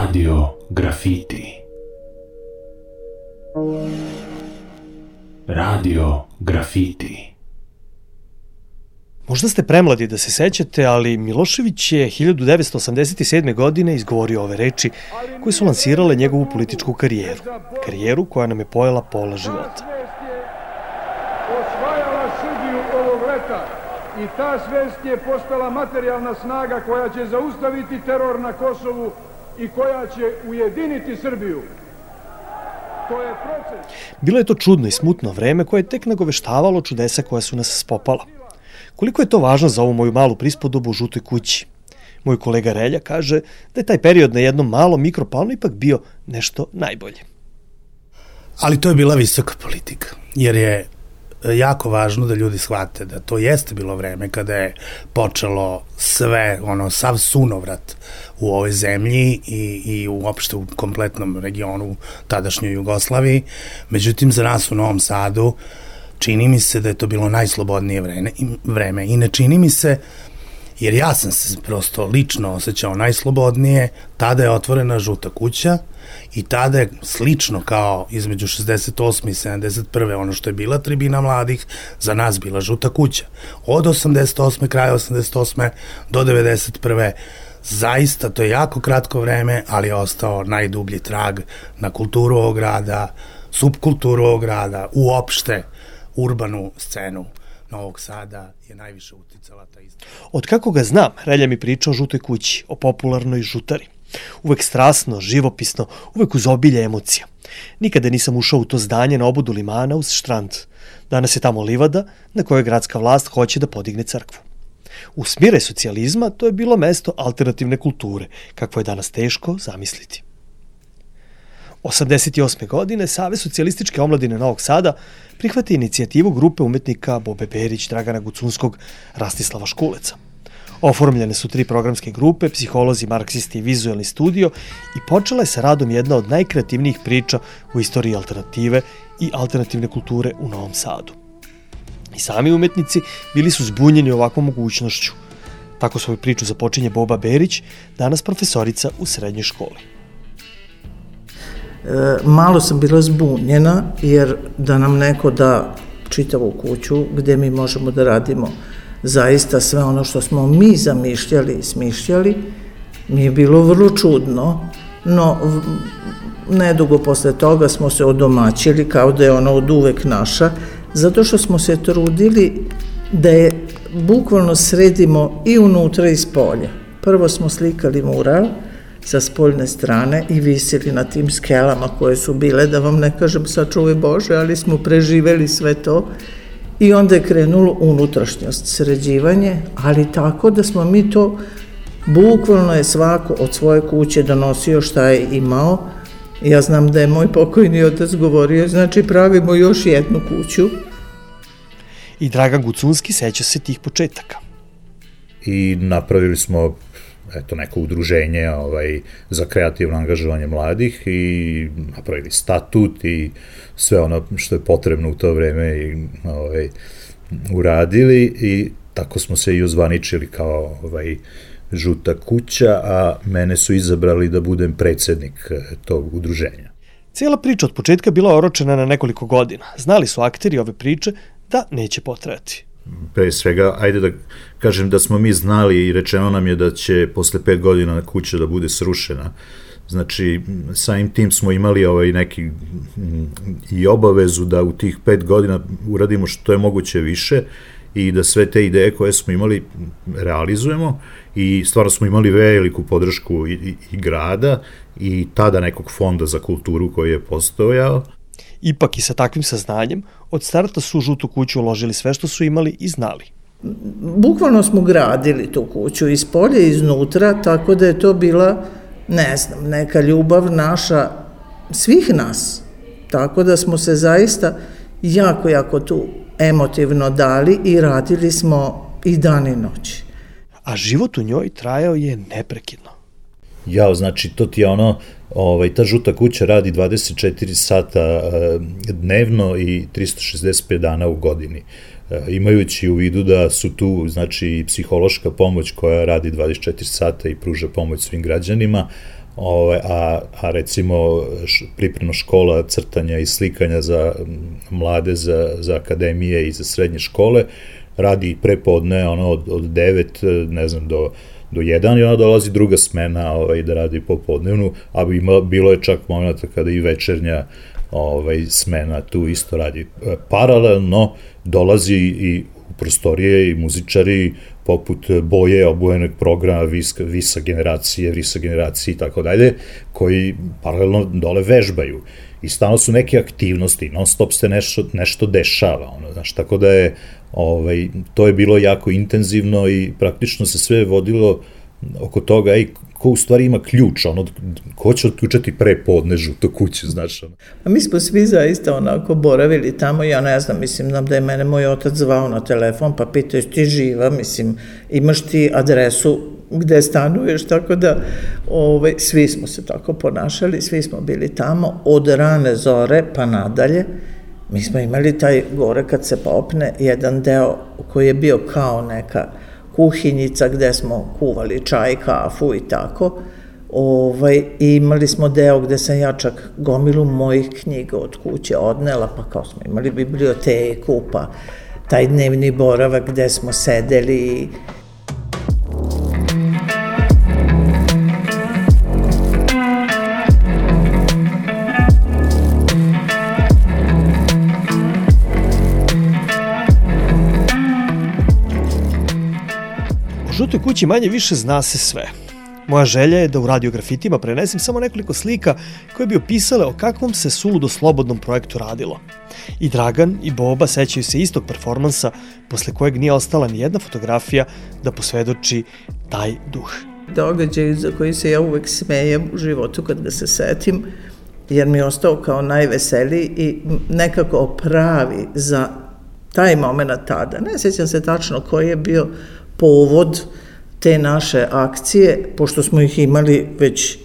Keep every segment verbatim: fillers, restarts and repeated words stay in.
Radio Grafiti. Radio Grafiti. Možda ste premladi da se sećate, ali Milošević je hiljadu devetsto osamdeset sedme. godine izgovorio ove reči koje su lansirale njegovu političku karijeru. Karijeru koja nam je pojela pola života. Osvajala Srbiju ovog leta i ta svest je postala materijalna snaga koja će zaustaviti teror na Kosovu i koja će ujediniti Srbiju. To je proces. Bilo je to čudno i smutno vreme koje je tek nagoveštavalo čudesa koja su nas spopala. Koliko je to važno za ovu moju malu prispodobu u Žutoj kući? Moj kolega Relja kaže da je taj period na jednom malom mikroplanu ipak bio nešto najbolje. Ali to je bila visoka politika, jer je jako važno da ljudi shvate da to jeste bilo vreme kada je počelo sve, ono, sav sunovrat u ovoj zemlji i, i uopšte u kompletnom regionu tadašnjoj Jugoslaviji. Međutim, za nas u Novom Sadu čini mi se da je to bilo najslobodnije vreme, vreme. I ne čini mi se, jer ja sam se prosto lično osjećao najslobodnije, tada je otvorena Žuta kuća i tada je slično kao između šezdeset osme i sedamdeset prve ono što je bila tribina mladih, za nas bila Žuta kuća. Od osamdeset osme kraja osamdeset osme do devedeset prve zaista to je jako kratko vreme, ali je ostao najdublji trag na kulturu ovog grada, subkulturu ovog grada, uopšte urbanu scenu Novog Sada je najviše uticala ta istina. Od kako ga znam, Relja mi priča o Žutoj kući, o popularnoj žutari. Uvek strasno, živopisno, uvek uz obilje emocija. Nikada nisam ušao u to zdanje na obodu limana uz štrand. Danas je tamo livada na kojoj gradska vlast hoće da podigne crkvu. U smire socijalizma to je bilo mesto alternativne kulture, kakvo je danas teško zamisliti. osamdeset osme. godine Savez socijalističke omladine Novog Sada prihvata inicijativu grupe umetnika Bobe Berić, Dragana Gucunskog, Rastislava Škuleca. Oformljene su tri programske grupe, psiholozi, marksisti i vizuelni studio i počela je sa radom jedna od najkreativnijih priča u istoriji alternative i alternativne kulture u Novom Sadu. I sami umetnici bili su zbunjeni ovakvom mogućnošću. Tako svoju priču započinje Boba Berić, danas profesorica u srednjoj školi. Malo sam bila zbunjena, jer da nam neko da čitavu kuću gde mi možemo da radimo zaista sve ono što smo mi zamišljali i smišljali, mi je bilo vrlo čudno, no nedugo posle toga smo se odomaćili kao da je ona od uvek naša, zato što smo se trudili da je bukvalno sredimo i unutra i spolja. Prvo smo slikali mural sa spoljne strane i visili na tim skelama koje su bile, da vam ne kažem sačuvaj Bože, ali smo preživeli sve to. I onda je krenulo unutrašnjost, sređivanje, ali tako da smo mi to, bukvalno je svako od svoje kuće donosio šta je imao. Ja znam da je moj pokojni otac govorio, znači pravimo još jednu kuću. I Dragan Gucunski seća se tih početaka. I napravili smo eto, neko udruženje ovaj, za kreativno angažovanje mladih i napravili statut i sve ono što je potrebno u to vreme i, ovaj, uradili i tako smo se i ozvaničili kao ovaj, Žuta kuća, a mene su izabrali da budem predsednik tog udruženja. Cijela priča od početka bila oročena na nekoliko godina. Znali su akteri ove priče da neće potrajati. Pre svega, ajde da kažem da smo mi znali i rečeno nam je da će posle pet godina kuća da bude srušena. Znači, samim tim smo imali ovaj neki i obavezu da u tih pet godina uradimo što je moguće više i da sve te ideje koje smo imali realizujemo i stvarno smo imali veliku podršku i, i, i grada i tada nekog fonda za kulturu koji je postojao. Ipak i sa takvim saznanjem, od starta su u Žutu kuću uložili sve što su imali i znali. Bukvalno smo gradili tu kuću iz polja i iznutra, tako da je to bila, ne znam, neka ljubav naša, svih nas. Tako da smo se zaista jako, jako tu emotivno dali i radili smo i dan i noć. A život u njoj trajao je neprekidno. jao, znači, to ti je ono, ovaj, ta žuta kuća radi dvadeset četiri sata dnevno i tristo šezdeset pet dana u godini. Imajući u vidu da su tu, znači, psihološka pomoć koja radi dvadeset četiri sata i pruža pomoć svim građanima, Ove, a, a recimo pripremna škola crtanja i slikanja za mlade, za, za akademije i za srednje škole radi prepodne ono, od, od devet, ne znam, do, do jedan i ona dolazi druga smena ovaj, da radi popodnevnu, a ima, bilo je čak momenta kada i večernja ovaj, smena tu isto radi. Paralelno dolazi i u prostorije i muzičari poput Boje, obujenog programa, Visa, Visa generacije, Visa generacije i tako dalje, koji paralelno dole vežbaju. I stalno su neke aktivnosti, non stop se nešto, nešto dešava, ono, znaš, tako da je, ovaj, to je bilo jako intenzivno i praktično se sve vodilo oko toga, ej, ko u stvari ima ključ, ono, ko će otključati pre podne žutu kuću, znaš, ono. A mi smo svi zaista onako boravili tamo, ja ne znam, mislim, nam da je mene moj otac zvao na telefon, pa pitao, jesi ti živa, mislim, imaš ti adresu gde stanuješ, tako da ovaj, svi smo se tako ponašali, svi smo bili tamo, od rane zore pa nadalje. Mi smo imali taj gore kad se popne, jedan deo koji je bio kao neka kuhinjica gde smo kuvali čaj, kafu i tako. Ovaj, i imali smo deo gde sam ja čak gomilu mojih knjiga od kuće odnela, pa kao smo imali biblioteku, pa taj dnevni boravak gde smo sedeli. U žutoj kući manje više zna se sve. Moja želja je da u Radio Grafitima prenesem samo nekoliko slika koje bi opisale o kakvom se suludo slobodnom projektu radilo. I Dragan i Boba sećaju se istog performansa posle kojeg nije ostala ni jedna fotografija da posvedoči taj duh. Događaj za koji se ja uvek smejem u životu kad ga se setim, jer mi je ostao kao najveseliji i nekako pravi za taj moment tada. Ne sećam se tačno koji je bio povod te naše akcije, pošto smo ih imali već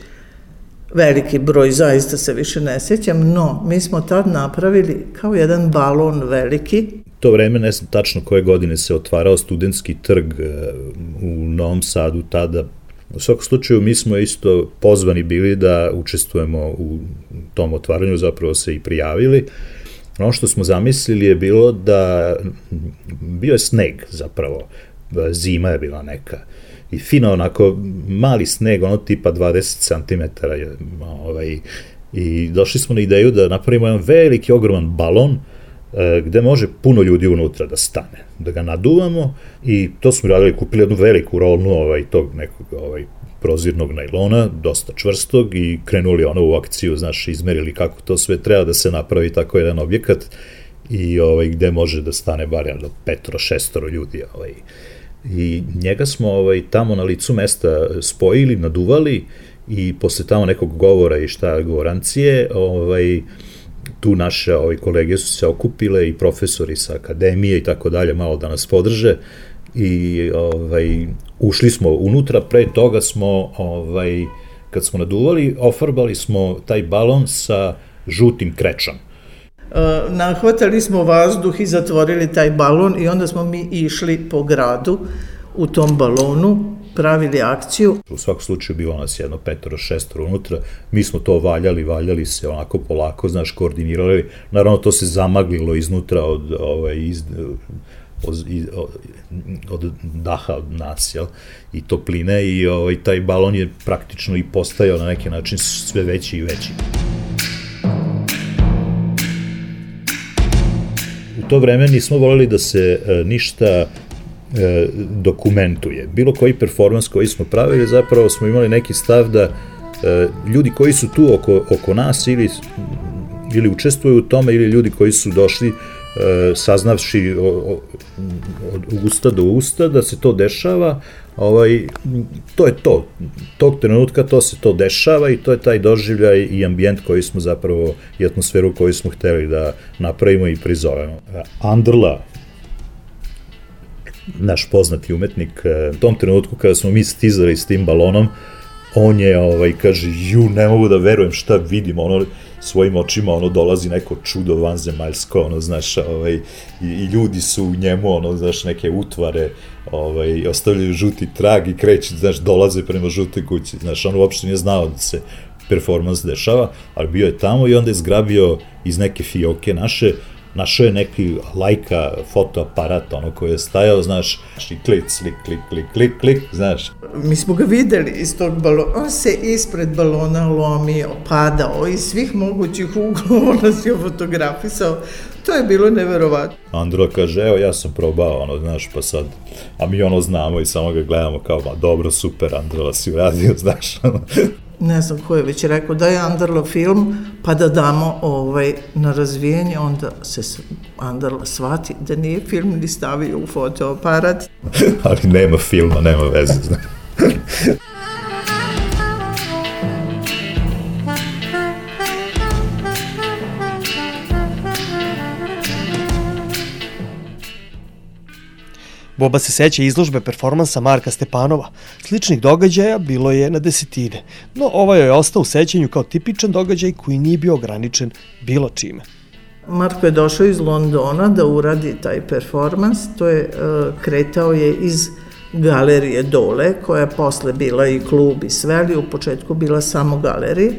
veliki broj, zaista se više ne sjećam, no mi smo tad napravili kao jedan balon veliki. To vreme, ne znam tačno koje godine se otvarao studentski trg u Novom Sadu tada. U svakom slučaju mi smo isto pozvani bili da učestvujemo u tom otvaranju, zapravo se i prijavili. Ono što smo zamislili je bilo da bio je sneg zapravo, zima je bila neka i fino onako mali sneg, ono tipa dvadeset centimetara ovaj, i došli smo na ideju da napravimo jedan veliki ogroman balon e, gde može puno ljudi unutra da stane, da ga naduvamo i to smo radili, kupili jednu veliku rolnu ovaj, tog nekog ovaj, prozirnog najlona, dosta čvrstog i krenuli ono u akciju, znaš, izmerili kako to sve treba da se napravi tako jedan objekat i ovaj, gde može da stane bar jedno petoro, šestoro ljudi. Ovaj. I njega smo ovaj, tamo na licu mesta spojili, naduvali i posle tamo nekog govora i šta govorancije, ovaj, tu naše ovaj, kolege su se okupile i profesori sa akademije i tako dalje, malo da nas podrže i ovaj, ušli smo unutra, pre toga smo, ovaj, kad smo naduvali, ofarbali smo taj balon sa žutim krečom. Nahvatali smo vazduh i zatvorili taj balon i onda smo mi išli po gradu u tom balonu, pravili akciju. U svakom slučaju bilo nas jedno petoro, šestoro unutra, mi smo to valjali, valjali se onako polako, znaš, koordinirali, naravno to se zamaglilo iznutra od, ovaj, iz, od, od daha od nas, jel, i topline i ovaj, taj balon je praktično i postajao na neki način sve veći i veći. U to vreme nismo voleli da se e, ništa e, dokumentuje. Bilo koji performans koji smo pravili, zapravo smo imali neki stav da e, ljudi koji su tu oko, oko nas ili, ili učestvuju u tome ili ljudi koji su došli e, saznavši o, o, od usta do usta da se to dešava, ovaj, to je to. Tog trenutka to se to dešava i to je taj doživljaj i ambijent koji smo zapravo i atmosferu koju smo hteli da napravimo i prizovemo. Andrla, naš poznati umetnik, u tom trenutku kada smo mi stizali s tim balonom, on je, ovaj, kaže, ju, ne mogu da verujem šta vidim, ono, svojim očima, ono, dolazi neko čudo vanzemaljsko, ono, znaš, ovaj, i, i ljudi su u njemu, ono, znaš, neke utvare, ovaj, ostavljaju žuti trag i kreće, znaš, dolaze prema žutoj kući, znaš, on uopšte nije znao da se performans dešava, ali bio je tamo i onda je zgrabio iz neke fioke naše, našao je neki Leica fotoaparat, ono koji je stajao, znaš, i klik, klik, klik, klik, klik, klik, znaš. Mi smo ga videli iz tog balona, on se ispred balona lomio, padao, iz svih mogućih uglova nas je fotografisao, to je bilo neverovatno. Andrla kaže, evo ja sam probao, ono, znaš, pa sad, a mi ono znamo i samo ga gledamo kao, ma dobro, super, Andrla si uradio, znaš, ono. Ne znam ko je već rekao da je Andrla film, pa da damo ovaj, na razvijenje, onda se Andrla shvati da nije film ni stavio u fotoaparat. Ali nema filma, nema veze, znaš. Boba se seća izložbe performansa Marka Stepanova. Sličnih događaja bilo je na desetine, no ovaj je ostao u sećanju kao tipičan događaj koji nije bio ograničen bilo čime. Marko je došao iz Londona da uradi taj performans, to je kretao je iz galerije dole, koja je posle bila i klub i sve, ali u početku bila samo galerija.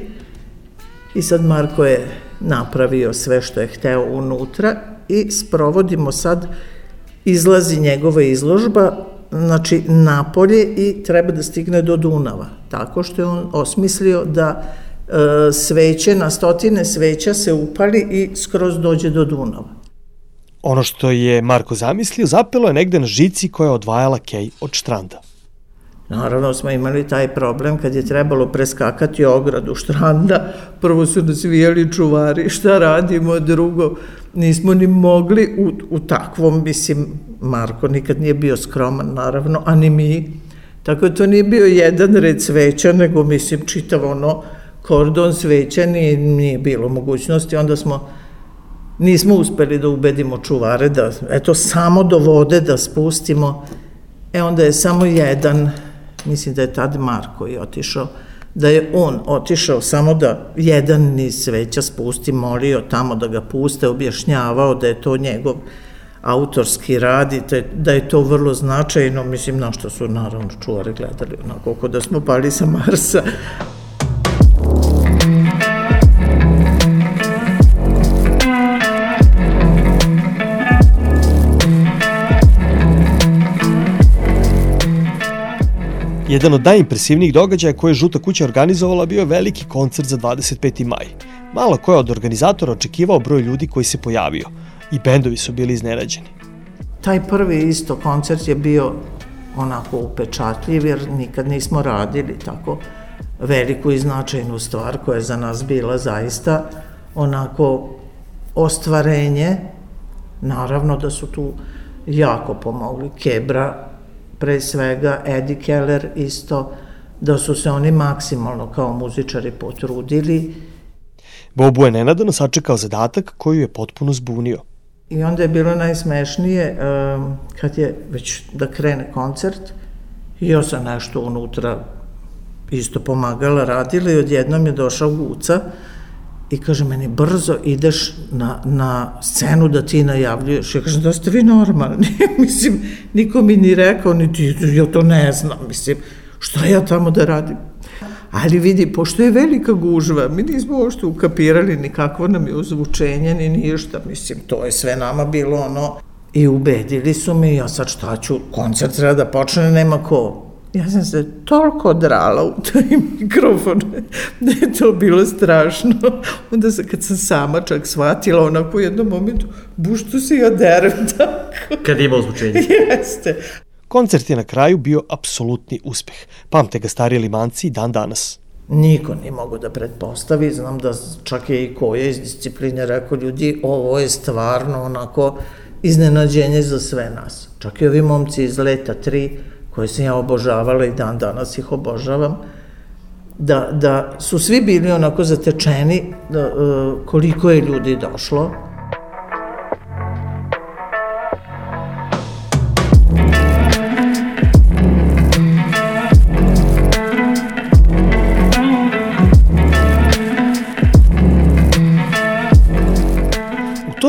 I sad Marko je napravio sve što je hteo unutra i sprovodimo sad, izlazi njegova izložba, znači napolje i treba da stigne do Dunava, tako što je on osmislio da e, sveće, na stotine sveća se upali i skroz dođe do Dunava. Ono što je Marko zamislio zapelo je negde na žici koja je odvajala kej od štranda. Naravno smo imali taj problem kad je trebalo preskakati ogradu štranda, prvo su nas vijeli čuvari, šta radimo, drugo, nismo ni mogli u, u takvom, mislim, Marko nikad nije bio skroman, naravno, a ni mi, tako da to nije bio jedan red sveća, nego, mislim, čitav ono kordon sveća, nije, nije bilo mogućnosti, onda smo, nismo uspeli da ubedimo čuvare da, eto, samo do vode da spustimo, e onda je samo jedan, mislim da je tad Marko i otišao, da je on otišao samo da jedan niz sveća spusti, molio tamo da ga puste, objašnjavao da je to njegov autorski rad i da je to vrlo značajno, mislim, na što su naravno čuvari gledali, onako ko da smo pali sa Marsa. Jedan od najimpresivnijih događaja koje je Žuta kuća organizovala bio je veliki koncert za dvadeset peti maj. Malo ko je od organizatora očekivao broj ljudi koji se pojavio i bendovi su bili iznenađeni. Taj prvi isto koncert je bio onako upečatljiv jer nikad nismo radili tako veliku i značajnu stvar koja je za nas bila zaista onako ostvarenje. Naravno da su tu jako pomogli Kebra, pre svega Eddie Keller isto, da su se oni maksimalno kao muzičari potrudili. Bobu je nenadano sačekao zadatak koji je potpuno zbunio. I onda je bilo najsmešnije kad je već da krene koncert i ja sam nešto unutra isto pomagala, radila i odjednom je došao Guca i kaže meni, brzo ideš na, na scenu da ti najavljuješ. Ja kažem, da ste vi normalni. Mislim, niko mi ni rekao, niti ja to ne znam. Mislim, šta ja tamo da radim? Ali vidi, pošto je velika gužva, mi nismo uopšte ukapirali ni kakvo nam je ozvučenje, ni ništa. Mislim, to je sve nama bilo ono. I ubedili su me, ja sad šta ću, koncert treba da počne, nema ko. Ja sam se toliko drala u taj mikrofon da je to bilo strašno. Onda se, kad sam sama čak shvatila, onako u jednom momentu, bušto se ja derem tako. Kad ima ozvučenje. Jeste. Koncert je na kraju bio apsolutni uspeh. Pamte ga stariji limanci i dan danas. Niko nije mogo da pretpostavi, znam da čak je i Koja iz discipline rekao, ljudi, ovo je stvarno onako iznenađenje za sve nas. Čak i ovi momci iz Leta tri, koje sam ja obožavala i dan danas ih obožavam, da, da su svi bili onako zatečeni da, koliko je ljudi došlo.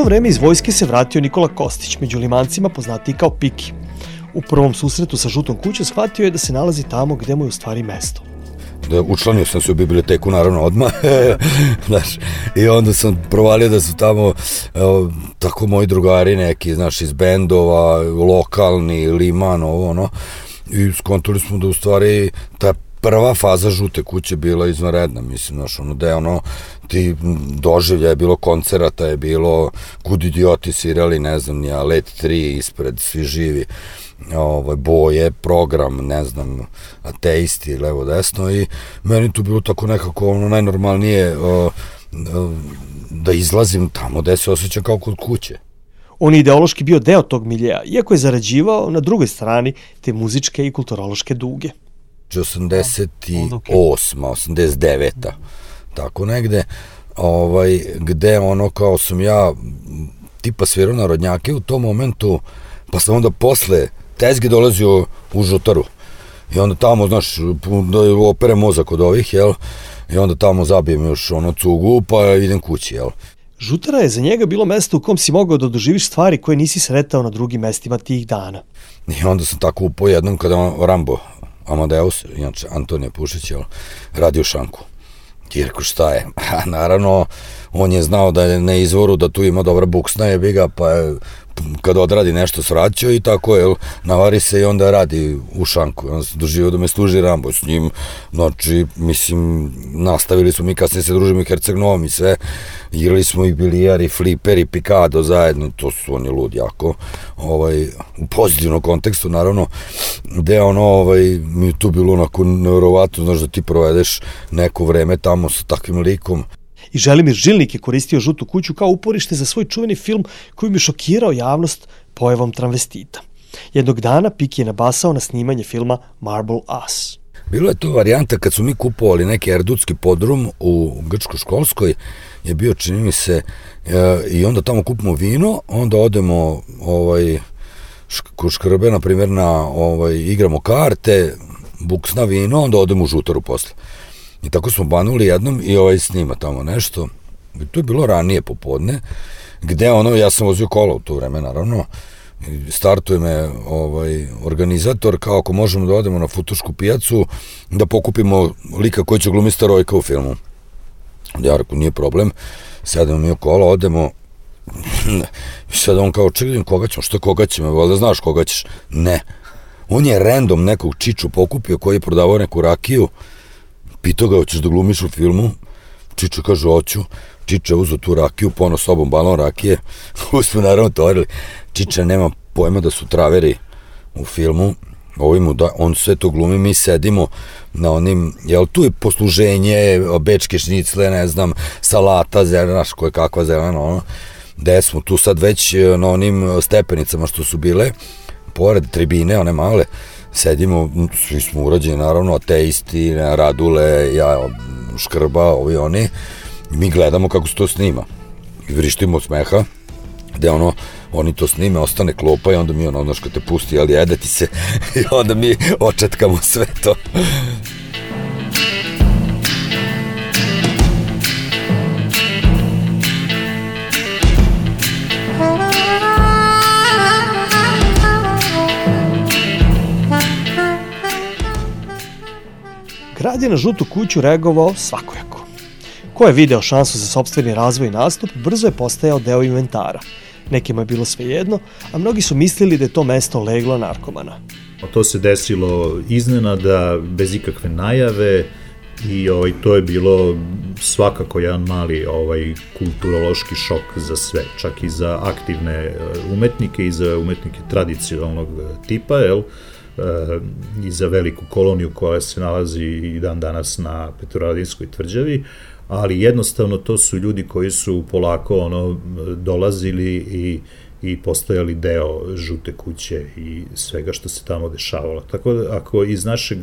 to vreme iz vojske se vratio Nikola Kostić, među Limancima poznatiji kao Piki. U prvom susretu sa Žutom kućom shvatio je da se nalazi tamo gde mu je u stvari mesto. Da, učlanio sam se u biblioteku naravno odmah, znaš, i onda sam provalio da su tamo evo, tako moji drugari neki, znaš, iz bendova, lokalni, Liman, ovo, ono, i skontali smo da u stvari ta prva faza Žute kuće bila izvanredna, mislim, znaš, ono, da je ono, ti doživlja je bilo, koncerata je bilo, Kud idioti svirali, ne znam, nija, Let tri ispred, svi živi, ovaj, Boje, program, ne znam, Ateisti, levo, desno, i meni tu bilo tako nekako ono najnormalnije uh, uh, da izlazim tamo gde se osjećam kao kod kuće. On je ideološki bio deo tog miljeja, iako je zarađivao na drugoj strani te muzičke i kulturološke duge. osamdeset osma, osamdeset deveta tako negde, ovaj, gde ono kao sam ja tipa svirao narodnjake u tom momentu, pa sam onda posle tezge dolazio u Žutaru i onda tamo, znaš, da opere mozak od ovih, jel, i onda tamo zabijem još ono cugu, pa idem kući, jel. Žutara je za njega bilo mesto u kom si mogao da doživiš stvari koje nisi sretao na drugim mestima tih dana. I onda sam tako upao jednom kada on, Rambo Amadeus, inače Antonije Pušić, jel, radio šanku. I rekao, šta je? A naravno, on je znao da je na izvoru, da tu ima dobra buksna jebiga, pa je kad odradi nešto svraćao i tako, jel, navari se i onda radi u šanku. Onda se doživio da me služi Rambo s njim, znači, mislim, nastavili smo mi, kasnije se družimo i Herceg Novom i sve, igrali smo i bilijar i fliper i pikado zajedno, to su, on je lud jako, ovaj, u pozitivnom kontekstu, naravno, gde ono, ovaj, mi je tu bilo onako nevjerovatno, znaš, da ti provedeš neko vreme tamo sa takvim likom. I Želimir Žilnik je koristio Žutu kuću kao uporište za svoj čuveni film koji bi šokirao javnost pojavom travestita. Jednog dana Piki je nabasao na snimanje filma Marble Ass. Bilo je to varijanta kad su mi kupovali neki erdutski podrum u Grčko-školskoj, je bio, čini mi se, e, i onda tamo kupimo vino, onda odemo ovaj, kod Škrbe, na primjer, na, ovaj, igramo karte, buksna vino, onda odemo u Žutaru posle. I tako smo banuli jednom i ovaj snima tamo nešto. I to je bilo ranije popodne, gde ono, ja sam vozio kola u to vreme, naravno, startuje me ovaj, organizator, kao ako možemo da odemo na Futošku pijacu, da pokupimo lika koji će glumiti Starojka u filmu. Ja rekao, nije problem, sedemo mi u kola, odemo, i sad on kao, čekaj, koga ćemo, što koga ćemo, valjda znaš koga ćeš? Ne. On je random nekog Čiču pokupio koji je prodavao neku rakiju, pitao ga, hoćeš da glumiš u filmu? Čiča kaže, hoću. Čiča uzeo tu rakiju, pono sobom balon rakije, koju smo naravno torili. Čiča nema pojma da su traveri u filmu, Ovi mu da, on sve to glumi, mi sedimo na onim, jel tu je posluženje, bečke šnicle, ne znam, salata, zelena, koje kakva zelena, ono, gde smo tu sad već na onim stepenicama što su bile, pored tribine, one male, sedimo, svi smo urađeni, naravno, Ateisti, Radule, ja, Škrba, ovi oni, i mi gledamo kako se to snima. I vrištimo od smeha, gde ono, oni to snime, ostane klopa i onda mi ono, znaš, kad te pusti, ali jede ti se, i onda mi očetkamo sve to. Grad je na Žutu kuću reagovao svakojako. Ko je video šansu za sopstveni razvoj i nastup, brzo je postajao deo inventara. Nekima je bilo svejedno, a mnogi su mislili da je to mesto leglo narkomana. To se desilo iznenada, bez ikakve najave, i ovaj, to je bilo svakako jedan mali ovaj, kulturološki šok za sve, čak i za aktivne umetnike i za umetnike tradicionalnog tipa, jel? I za veliku koloniju koja se nalazi i dan danas na Petrovaradinskoj tvrđavi, ali jednostavno to su ljudi koji su polako ono dolazili i, i postajali deo Žute kuće i svega što se tamo dešavalo. Tako da ako iz našeg,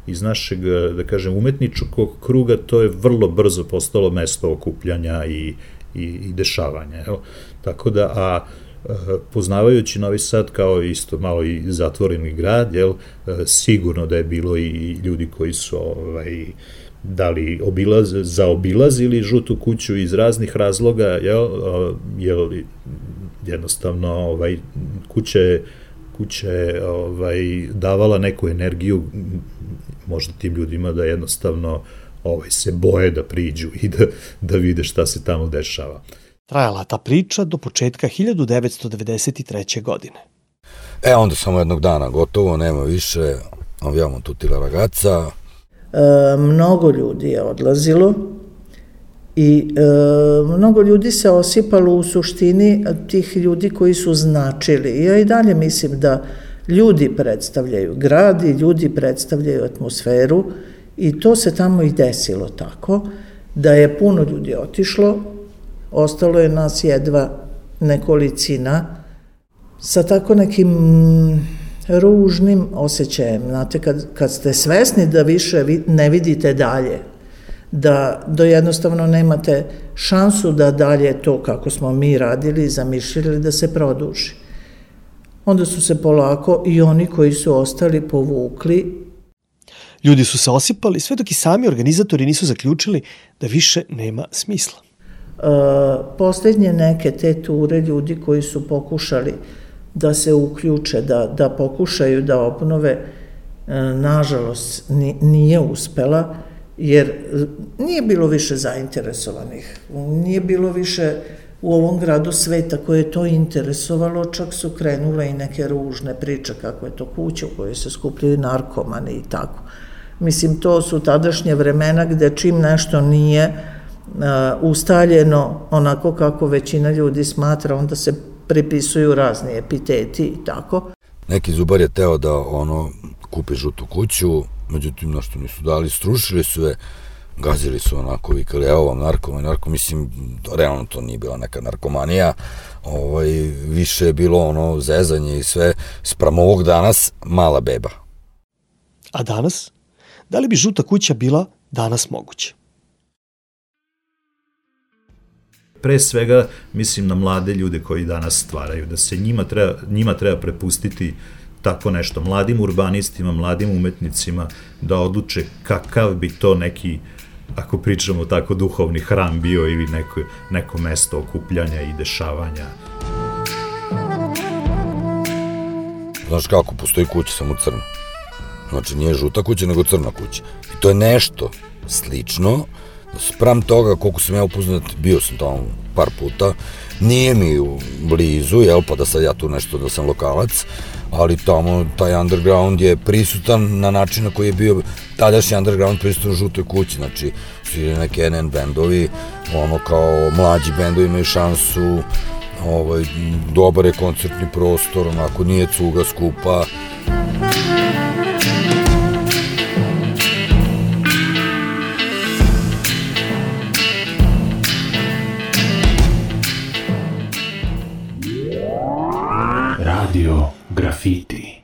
iz našeg da kažem, umetničkog kruga, to je vrlo brzo postalo mesto okupljanja i, i, i dešavanja. Evo. Tako da, a poznavajući Novi Sad kao isto malo i zatvoreni grad, jel, sigurno da je bilo i ljudi koji su ovaj, dali obilaz, zaobilazili Žutu kuću iz raznih razloga, jel, jel jednostavno ovaj, kuća je kuća je ovaj, davala neku energiju možda tim ljudima da jednostavno ovaj, se boje da priđu i da, da vide šta se tamo dešava. Trajala ta priča do početka hiljadu devetsto devedeset treće. godine. E, onda samo jednog dana gotovo, nema više, avijamo tutti la ragazza. E, mnogo ljudi je odlazilo i e, mnogo ljudi se osipalo u suštini tih ljudi koji su značili. Ja i dalje mislim da ljudi predstavljaju grad i ljudi predstavljaju atmosferu i to se tamo i desilo tako, da je puno ljudi otišlo, ostalo je nas jedva nekolicina sa tako nekim ružnim osjećajem. Znate, kad, kad ste svesni da više ne vidite dalje, da, da jednostavno nemate šansu da dalje to kako smo mi radili, zamišljali da se produži. Onda su se polako i oni koji su ostali povukli. Ljudi su se osipali sve dok i sami organizatori nisu zaključili da više nema smisla. E, posljednje neke te ture ljudi koji su pokušali da se uključe, da, da pokušaju da obnove, e, nažalost nije uspela, jer nije bilo više zainteresovanih, nije bilo više u ovom gradu sveta koje je to interesovalo, čak su krenule i neke ružne priče kako je to kuća u kojoj se skupljaju narkomani i tako. Mislim, to su tadašnje vremena gde čim nešto nije uh, ustaljeno onako kako većina ljudi smatra, onda se pripisuju razni epiteti i tako. Neki zubar je teo da ono kupi Žutu kuću, međutim, na što nisu dali, strušili su je, gazili su onako, vikali, evo vam narkoma, narko, mislim, realno to nije bila neka narkomanija, ovaj, više je bilo ono zezanje i sve, sprem ovog danas, mala beba. A danas? Da li bi Žuta kuća bila danas moguća? Pre svega, mislim na mlade ljude koji danas stvaraju, da se njima treba, njima treba prepustiti tako nešto, mladim urbanistima, mladim umetnicima, da odluče kakav bi to neki, ako pričamo tako, duhovni hram bio ili neko, neko mesto okupljanja i dešavanja. Znaš kako, postoji kuća samo crna. Znači, nije Žuta kuća, nego crna kuća. I to je nešto slično. Sprem toga, koliko sam ja upoznat, bio sam tamo par puta, nije mi u blizu, jel, pa da sad ja tu nešto, da sam lokalac, ali tamo taj underground je prisutan na način na koji je bio tadašnji underground prisutan u Žutoj kući, znači svi neki N N bendovi, ono kao mlađi bendovi imaju šansu, ovaj, dobar je koncertni prostor, onako nije cuga skupa. Radio Graffiti.